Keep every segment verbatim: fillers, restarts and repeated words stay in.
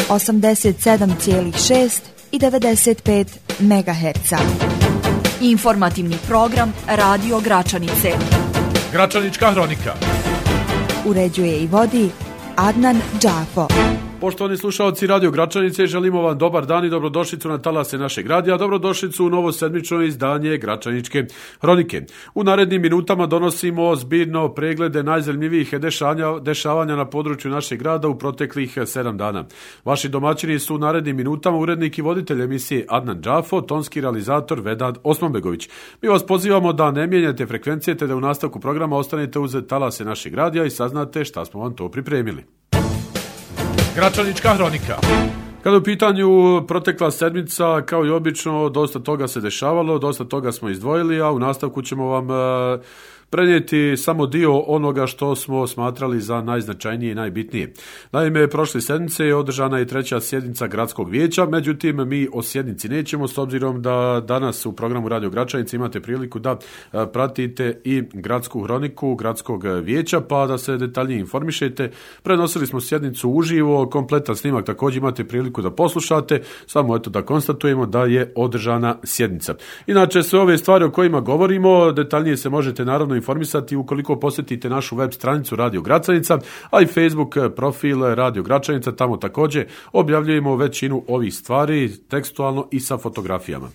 osamdeset sedam zarez šest i devedeset pet megaherca. Informativni program Radio Gračanice. Gračanička hronika. Uređuje i vodi Adnan Džafo. Poštovani slušalci Radio Gračanice, želimo vam dobar dan i dobrodošlicu na talase našeg radija, dobrodošlicu u novo sedmično izdanje Gračaničke hronike. U narednim minutama donosimo zbirno preglede najzanimljivijih dešavanja, dešavanja na području našeg grada u proteklih sedam dana. Vaši domaćini su u narednim minutama urednik i voditelj emisije Adnan Džafo, tonski realizator Vedad Osmanbegović. Mi vas pozivamo da ne mijenjate frekvencije te da u nastavku programa ostanete uz talase našeg radija i saznate šta smo vam to pripremili. Gračanička hronika. Kada u pitanju protekla sedmica, kao i obično, dosta toga se dešavalo, dosta toga smo izdvojili, a u nastavku ćemo vam e, prenijeti samo dio onoga što smo smatrali za najznačajnije i najbitnije. Naime, prošle sedmice je održana i treća sjednica gradskog vijeća, međutim mi o sjednici nećemo, s obzirom da danas u programu Radio Gračanice imate priliku da pratite i gradsku hroniku gradskog vijeća, pa da se detaljnije informišete. Prenosili smo sjednicu uživo, kompletan snimak također imate priliku da poslušate, samo eto da konstatujemo da je održana sjednica. Inače, sve ove stvari o kojima govorimo, detaljnije se možete naravno informisati ukoliko posjetite našu web stranicu Radio Gračanica, a i Facebook profil Radio Gračanica, tamo također objavljujemo većinu ovih stvari tekstualno i sa fotografijama.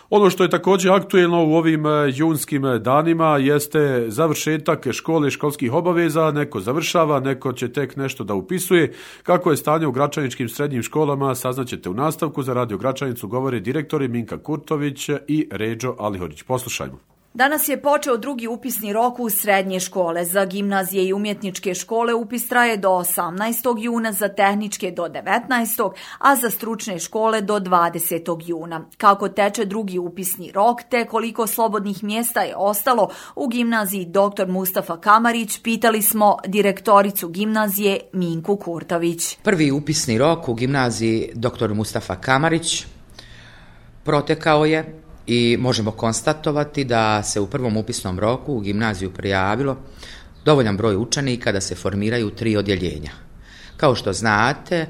Ono što je također aktuelno u ovim junskim danima jeste završetak škole, školskih obaveza, neko završava, neko će tek nešto da upisuje. Kako je stanje u gračaničkim srednjim školama, saznaćete u nastavku. Za Radio Gračanicu govore direktori Minka Kurtović i Ređo Alihođić. Poslušajmo. Danas je počeo drugi upisni rok u srednje škole. Za gimnazije i umjetničke škole upis traje do osamnaestog juna, za tehničke do devetnaestog, a za stručne škole do dvadesetog juna. Kako teče drugi upisni rok, te koliko slobodnih mjesta je ostalo u gimnaziji doktor Mustafa Kamarić, pitali smo direktoricu gimnazije Minku Kurtović. Prvi upisni rok u gimnaziji doktor Mustafa Kamarić protekao je i možemo konstatovati da se u prvom upisnom roku u gimnaziju prijavilo dovoljan broj učenika da se formiraju tri odjeljenja. Kao što znate,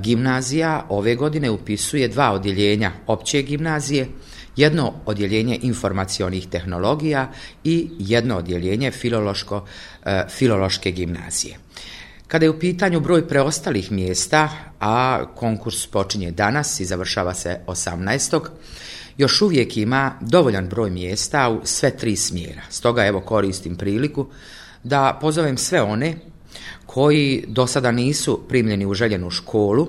gimnazija ove godine upisuje dva odjeljenja opće gimnazije, jedno odjeljenje informacionih tehnologija i jedno odjeljenje filološko, filološke gimnazije. Kada je u pitanju broj preostalih mjesta, a konkurs počinje danas i završava se osamnaestog još uvijek ima dovoljan broj mjesta u sve tri smjera. Stoga evo koristim priliku da pozovem sve one koji do sada nisu primljeni u željenu školu,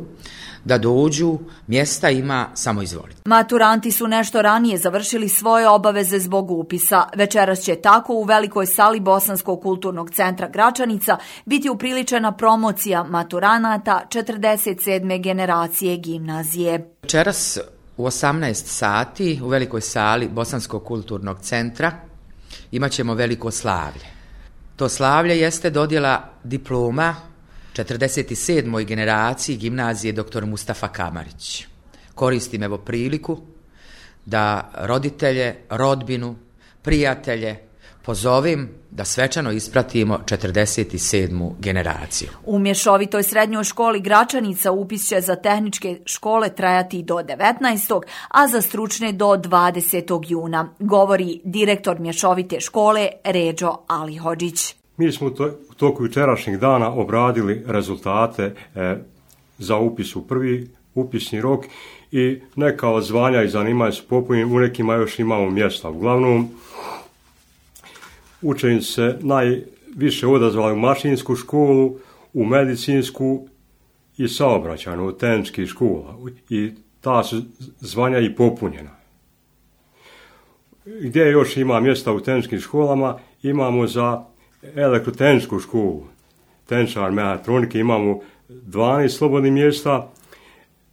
da dođu, mjesta ima, samo izvolite. Maturanti su nešto ranije završili svoje obaveze zbog upisa. Večeras će tako u velikoj sali Bosanskog kulturnog centra Gračanica biti upriličena promocija maturanata četrdeset sedme generacije gimnazije. Večeras u osamnaest sati u velikoj sali Bosanskog kulturnog centra imat ćemo veliko slavlje. To slavlje jeste dodjela diploma četrdeset sedmoj generaciji gimnazije doktor Mustafa Kamarić. Koristim evo priliku da roditelje, rodbinu, prijatelje pozovem da svečano ispratimo četrdeset sedmu generaciju. U mješovitoj srednjoj školi Gračanica upis će za tehničke škole trajati do devetnaestog, a za stručne do dvadesetog juna, govori direktor mješovite škole Ređo Alihođić. Mi smo u toku jučerašnjeg dana obradili rezultate e, za upis u prvi upisni rok i neka od zvanja i zanimanja su popunjeni, u nekima još imamo mjesta. Uglavnom, učenici se najviše odazvali u mašinsku školu, u medicinsku i saobraćajnu od tehničkih škola i ta su zvanja i popunjena. Gdje još ima mjesta u tehničkim školama, imamo za elektrotehničku školu, tehničar mehatronike, imamo dvanaest slobodnih mjesta,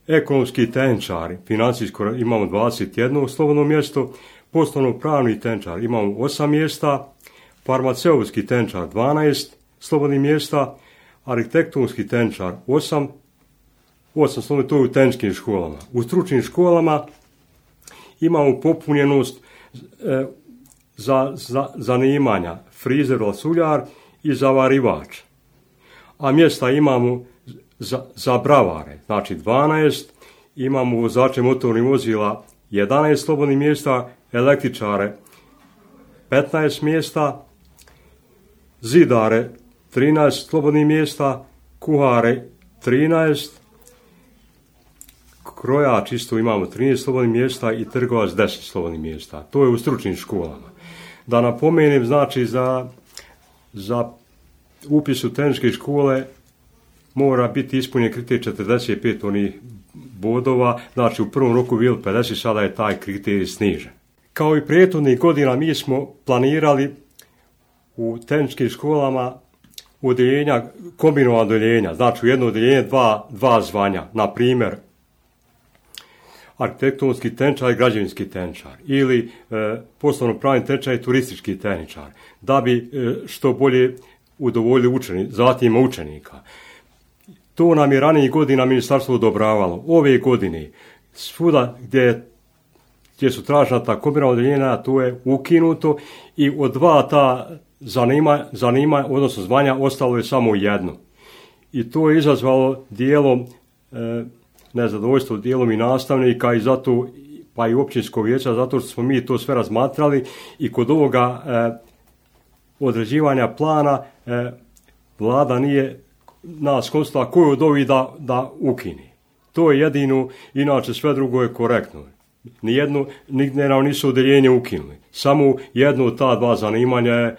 ekonomski tehničari, financijsko imamo dvadeset jedno slobodno mjesto, poslovno-pravni tehničar imamo osam mjesta, farmaceutski tehničar dvanaest slobodnih mjesta, arhitektonski tehničar osam, osam slobodnih, to je u tehničkim školama. U stručnim školama imamo popunjenost e, za, za zanimanja frizer, lasuljar i zavarivač. A mjesta imamo za, za bravare, znači dvanaest, imamo vozače motornih vozila jedanaest slobodnih mjesta, električare petnaest mjesta, zidare trinaest slobodnih mjesta, kuhare trinaest, krojač isto imamo trinaest slobodnih mjesta i trgovac deset slobodnih mjesta. To je u stručnim školama. Da napomenem, znači za, za upis u tehničke škole mora biti ispunjen kriterij četrdeset pet onih bodova, znači u prvom roku bilo pedeset, sada je taj kriterij snižen. Kao i prethodnih godina mi smo planirali u tehničkim školama odeljenja, kombinovana odeljenja, znači u jedno odeljenje dva, dva zvanja, na primjer arhitektonski tehničar i građevinski tehničar ili e, poslovno pravni tehničar i turistički tehničar, da bi e, što bolje udovoljili učeni, zatim učenika. To nam je ranijih godina ministarstvo odobravalo. Ove godine svuda gdje, gdje su tražena ta kombinovana odeljenja, to je ukinuto i od dva ta zanima, zanima, odnosno zvanja, ostalo je samo jedno. I to je izazvalo dijelom e, nezadovoljstvo dijelom i nastavnika i zato, pa i općinskog vijeća, zato što smo mi to sve razmatrali i kod ovoga e, određivanja plana e, vlada nije nas konstatila koju od ovih da, da ukini. To je jedino, inače sve drugo je korektno. Nijedno, nigdje nam nisu odeljenje ukinuli. Samo jedno od ta dva zanimanja je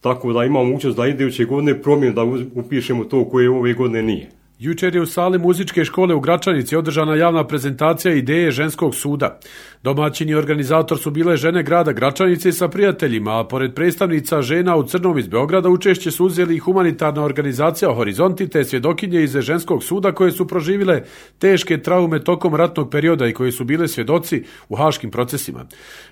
tako da imamo mogućnost da iduće godine promijenu, da upišemo to koje ove godine nije. Jučer je u sali muzičke škole u Gračanici održana javna prezentacija ideje ženskog suda. Domaćini i organizator su bile žene grada Gračanice sa prijateljima, a pored predstavnica žena u crnom iz Beograda učešće su uzeli i humanitarna organizacija Horizonti te svjedokinje iz ženskog suda koje su proživile teške traume tokom ratnog perioda i koje su bile svjedoci u haškim procesima.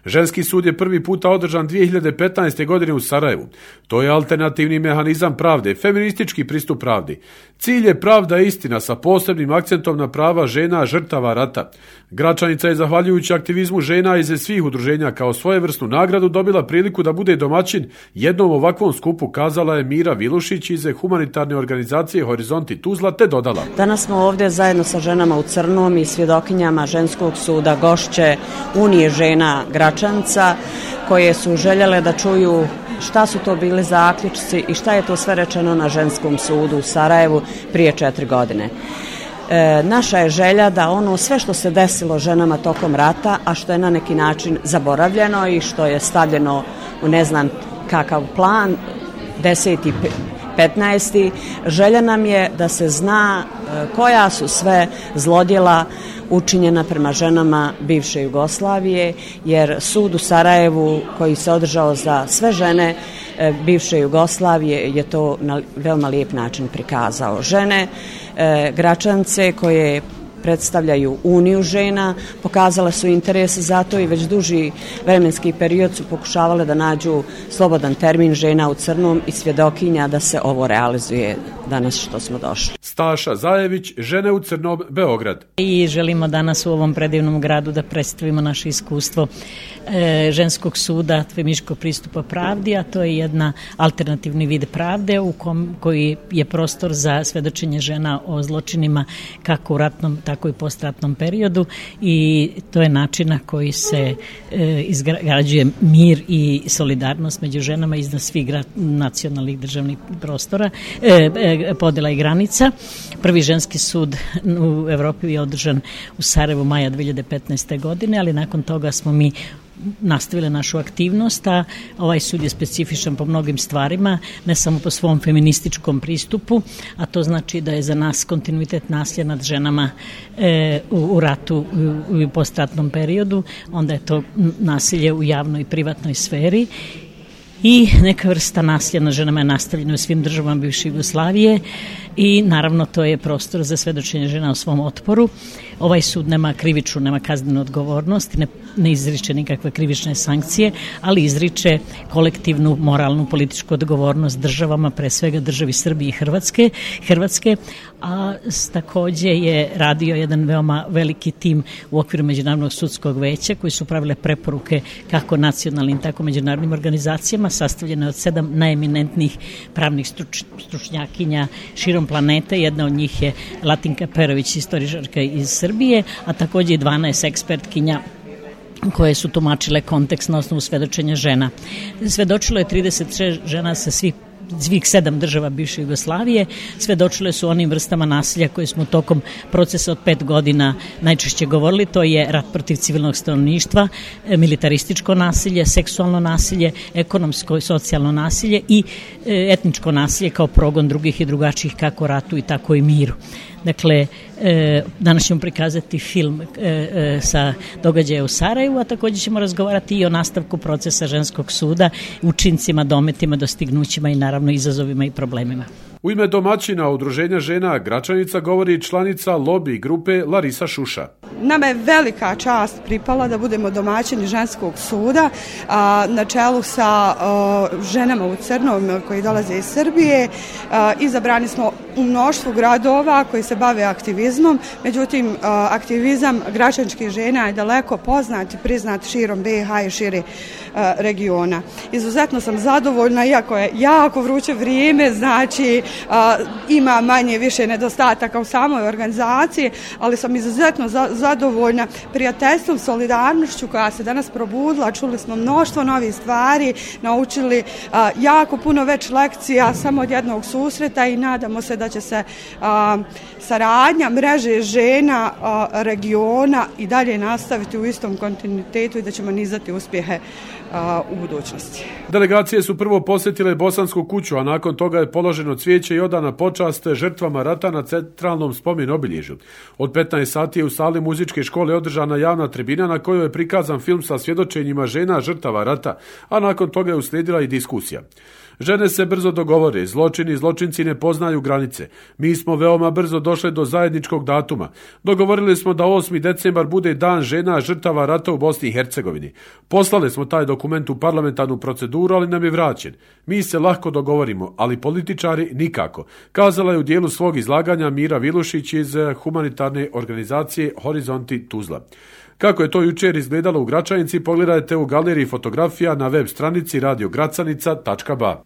Ženski sud je prvi puta održan dvije hiljade petnaeste. godine u Sarajevu. To je alternativni mehanizam pravde, feministički pristup pravdi. Cilj je pravda i istina sa posebnim akcentom na prava žena žrtava rata. Gračanica je zahvaljujući aktivizmu žena iz svih udruženja kao svojevrsnu nagradu dobila priliku da bude domaćin jednom ovakvom skupu, kazala je Mira Vilušić iz humanitarne organizacije Horizonti Tuzla, te dodala. Danas smo ovdje zajedno sa ženama u crnom i svjedokinjama ženskog suda gošće Unije žena Gračanca koje su željele da čuju šta su to bili zaključci i šta je to sve rečeno na ženskom sudu u Sarajevu prije četiri godine. E, naša je želja da ono sve što se desilo ženama tokom rata, a što je na neki način zaboravljeno i što je stavljeno u ne znam kakav plan, deseti, petnaesti, želja nam je da se zna e, koja su sve zlodjela učinjena prema ženama bivše Jugoslavije, jer sud u Sarajevu koji se održao za sve žene e, bivše Jugoslavije je to na veoma lijep način prikazao. Žene e, Gračance koje predstavljaju Uniju žena, pokazale su interes za to i već duži vremenski period su pokušavale da nađu slobodan termin žena u crnom i svjedokinja da se ovo realizuje danas što smo došli. Staša Zajević, žene u crnom, Beograd. I želimo danas u ovom predivnom gradu da predstavimo naše iskustvo e, ženskog suda, feminističkog pristupa pravdi, a to je jedna alternativni vid pravde u kom, koji je prostor za svedočenje žena o zločinima kako u ratnom, tako i postratnom periodu i to je način na koji se e, izgrađuje mir i solidarnost među ženama iznad svih gra, nacionalnih državnih prostora, e, e, podjela i granica. Prvi ženski sud u Evropi je održan u Sarajevu maja dvije hiljade petnaeste. godine, ali nakon toga smo mi nastavile našu aktivnost, a ovaj sud je specifičan po mnogim stvarima, ne samo po svom feminističkom pristupu, a to znači da je za nas kontinuitet nasilja nad ženama e, u, u ratu u, u postratnom periodu, onda je to nasilje u javnoj i privatnoj sferi i neka vrsta nasilja nad ženama je nastavljena u svim državama bivše Jugoslavije i naravno to je prostor za svedočenje žena o svom otporu. Ovaj sud nema krivičnu, nema kaznenu odgovornost, ne, ne izriče nikakve krivične sankcije, ali izriče kolektivnu moralnu političku odgovornost državama, pre svega državi Srbije i Hrvatske, Hrvatske, a takođe je radio jedan veoma veliki tim u okviru Međunarodnog sudskog veća koji su pravile preporuke kako nacionalnim, tako međunarodnim organizacijama, sastavljene od sedam najeminentnijih pravnih struč, stručnjakinja širom planete. Jedna od njih je Latinka Perović, istoričarka iz Srbije, a takođe i dvanaest ekspertkinja koje su tumačile kontekst na osnovu svedočenja žena. Svedočilo je trideset šest žena sa svih svih sedam država bivše Jugoslavije, svedočile su onim vrstama nasilja koje smo tokom procesa od pet godina najčešće govorili. To je rat protiv civilnog stanovništva, militarističko nasilje, seksualno nasilje, ekonomsko i socijalno nasilje i etničko nasilje kao progon drugih i drugačijih kako ratu i tako i miru. Dakle, danas ćemo prikazati film sa događaja u Sarajevu, a također ćemo razgovarati i o nastavku procesa ženskog suda, učincima, dometima, dostignućima i naravno izazovima i problemima. U ime domaćina Udruženja žena Gračanica govori članica lobby grupe Larisa Šuša. Nama je velika čast pripala da budemo domaćini ženskog suda a, na čelu sa a, ženama u crnom koji dolaze iz Srbije. A, izabrani smo u mnoštvu gradova koji se bave aktivizmom, međutim a, aktivizam gračanskih žena je daleko poznat i priznat širom B i H i šire a, regiona. Izuzetno sam zadovoljna, iako je jako vruće vrijeme, znači a, ima manje više nedostataka u samoj organizaciji, ali sam izuzetno za, zadovoljna prijateljstvom, solidarnošću koja se danas probudila. Čuli smo mnoštvo novih stvari, naučili a, jako puno već lekcija samo od jednog susreta i nadamo se da će se a, saradnja mreže žena a, regiona i dalje nastaviti u istom kontinuitetu i da ćemo nizati uspjehe a, u budućnosti. Delegacije su prvo posjetile Bosansku kuću, a nakon toga je položeno cvijeće i odana počast žrtvama rata na centralnom spomen obilježju. Od petnaest sati je u sali muzičke škole održana javna tribina na kojoj je prikazan film sa svjedočenjima žena žrtava rata, a nakon toga je uslijedila i diskusija. Žene se brzo dogovore, zločini i zločinci ne poznaju granice. Mi smo veoma brzo došli do zajedničkog datuma. Dogovorili smo da osmi decembar bude dan žena žrtava rata u Bosni i Hercegovini. Poslali smo taj dokument u parlamentarnu proceduru, ali nam je vraćen. Mi se lahko dogovorimo, ali političari nikako, kazala je u dijelu svog izlaganja Mira Vilušić iz humanitarne organizacije Horizonti Tuzla. Kako je to jučer izgledalo u Gračanici, pogledajte u galeriji fotografija na web stranici radio gracanica tačka ba.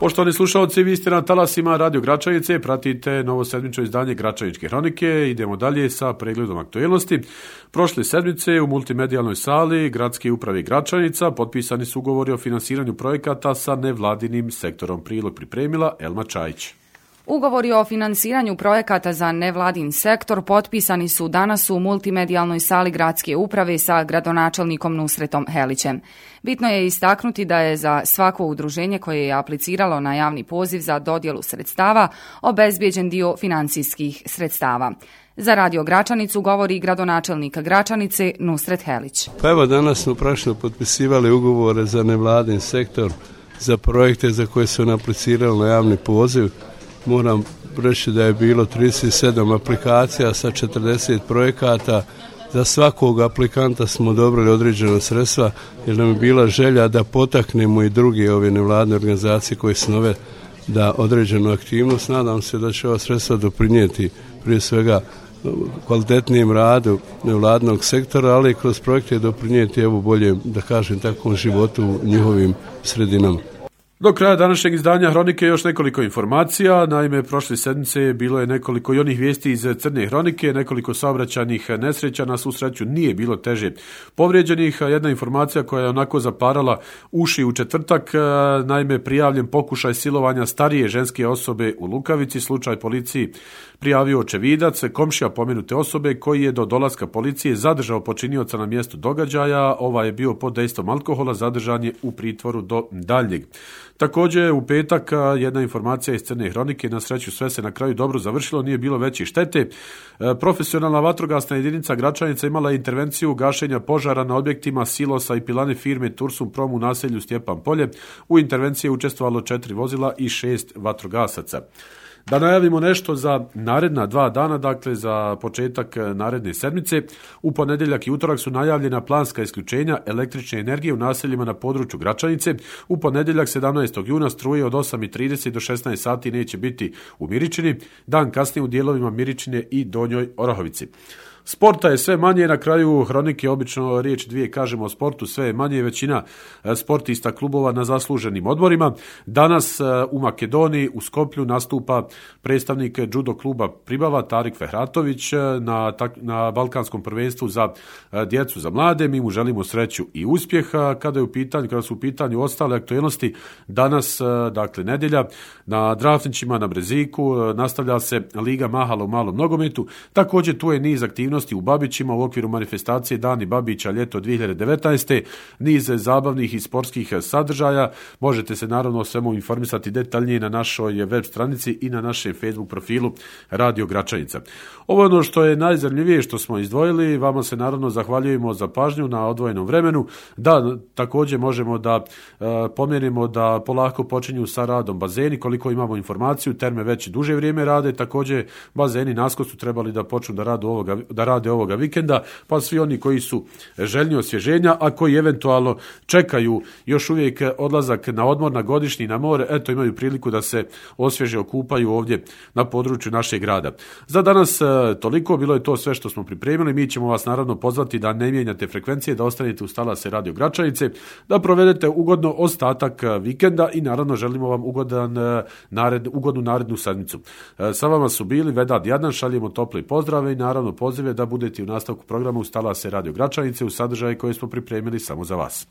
Poštovani slušalci, vi ste na talasima Radio Gračanice, pratite novo sedmično izdanje Gračaničke hronike. Idemo dalje sa pregledom aktuelnosti. Prošle sedmice u multimedijalnoj sali Gradske uprave Gračanica potpisani su ugovori o finansiranju projekata sa nevladinim sektorom. Prilog pripremila Elma Čajić. Ugovori o finansiranju projekata za nevladin sektor potpisani su danas u multimedijalnoj sali Gradske uprave sa gradonačelnikom Nusretom Helićem. Bitno je istaknuti da je za svako udruženje koje je apliciralo na javni poziv za dodjelu sredstava obezbijeđen dio financijskih sredstava. Za Radio Gračanicu govori gradonačelnik Gračanice Nusret Helić. Pa evo, danas smo prašno potpisivali ugovore za nevladin sektor, za projekte za koje su aplicirali na javni poziv. Moram reći da je bilo trideset sedam aplikacija sa četrdeset projekata. Za svakog aplikanta smo odobrili određena sredstva jer nam je bila želja da potaknemo i druge ove nevladne organizacije koje su nove da određenu aktivnost. Nadam se da će ova sredstva doprinijeti prije svega kvalitetnijem radu nevladnog sektora, ali i kroz projekte doprinijeti evo bolje, da kažem, takvom životu u njihovim sredinama. Do kraja današnjeg izdanja hronike još nekoliko informacija. Naime, prošle sedmice bilo je nekoliko i onih vijesti iz Crne hronike, nekoliko saobraćajnih nesreća, na svu sreću nije bilo teže povrijeđenih. Jedna informacija koja je onako zaparala uši u četvrtak, naime prijavljen pokušaj silovanja starije ženske osobe u Lukavici, slučaj policiji prijavio očevidac, komšija pomenute osobe koji je do dolaska policije zadržao počinioca na mjestu događaja. Ovaj je bio pod dejstvom alkohola, zadržan je u pritvoru do daljnjeg. Također u petak jedna informacija iz Crne hronike, na sreću sve se na kraju dobro završilo, nije bilo veće štete. Profesionalna vatrogasna jedinica Gračanica imala intervenciju gašenja požara na objektima silosa i pilane firme Tursum Prom u naselju Stjepan Polje. U intervenciji je učestvovalo četiri vozila i šest vatrogasaca. Da najavimo nešto za naredna dva dana, dakle za početak naredne sedmice. U ponedjeljak i utorak su najavljena planska isključenja električne energije u naseljima na području Gračanice. U ponedjeljak sedamnaestog šesnaestog juna struje od osam i trideset do šesnaest sati neće biti u Miričini, dan kasnije u dijelovima Miričine i Donjoj Orahovici. Sporta je sve manje, na kraju hronike obično riječ dvije kažemo o sportu, sve je manje, većina sportista klubova na zasluženim odmorima. Danas u Makedoniji, u Skoplju, nastupa predstavnik judo kluba Pribava, Tarik Fehratović, na, na Balkanskom prvenstvu za djecu, za mlade. Mi mu želimo sreću i uspjeh. Kada, je u pitanju, kada su u pitanju ostale aktualnosti, danas, dakle nedjelja, na Drafnićima, na Breziku, nastavlja se Liga Mahala u malom nogometu. Također tu je niz aktivnosti u Babićima u okviru manifestacije Dani Babića ljeto dvije hiljade devetnaeste. Niz zabavnih i sportskih sadržaja. Možete se naravno o svemu informisati detaljnije na našoj web stranici i na našem Facebook profilu Radio Gračanica. Ovo je ono što je najzanimljivije što smo izdvojili. Vama se naravno zahvaljujemo za pažnju na odvojenom vremenu. Da, također možemo da e, pomjerimo da polako počinju sa radom bazeni. Koliko imamo informaciju, terme već duže vrijeme rade. Također bazeni naskos su trebali da počnu da rade ovoga, da rade ovoga vikenda, pa svi oni koji su željni osvježenja, a koji eventualno čekaju još uvijek odlazak na odmor, na godišnji, na more, eto imaju priliku da se osvježe, okupaju ovdje na području našeg grada. Za danas toliko, bilo je to sve što smo pripremili. Mi ćemo vas naravno pozvati da ne mijenjate frekvencije, da ostanete uz talase Radio Gračajice, da provedete ugodno ostatak vikenda i naravno želimo vam ugodan nared, ugodnu narednu sedmicu. Sa vama su bili Vedad Jadnan, šaljemo tople pozdrave i naravno pozive da budete u nastavku programa uz talase Radio Gračajice u sadržaje koje smo pripremili samo za vas.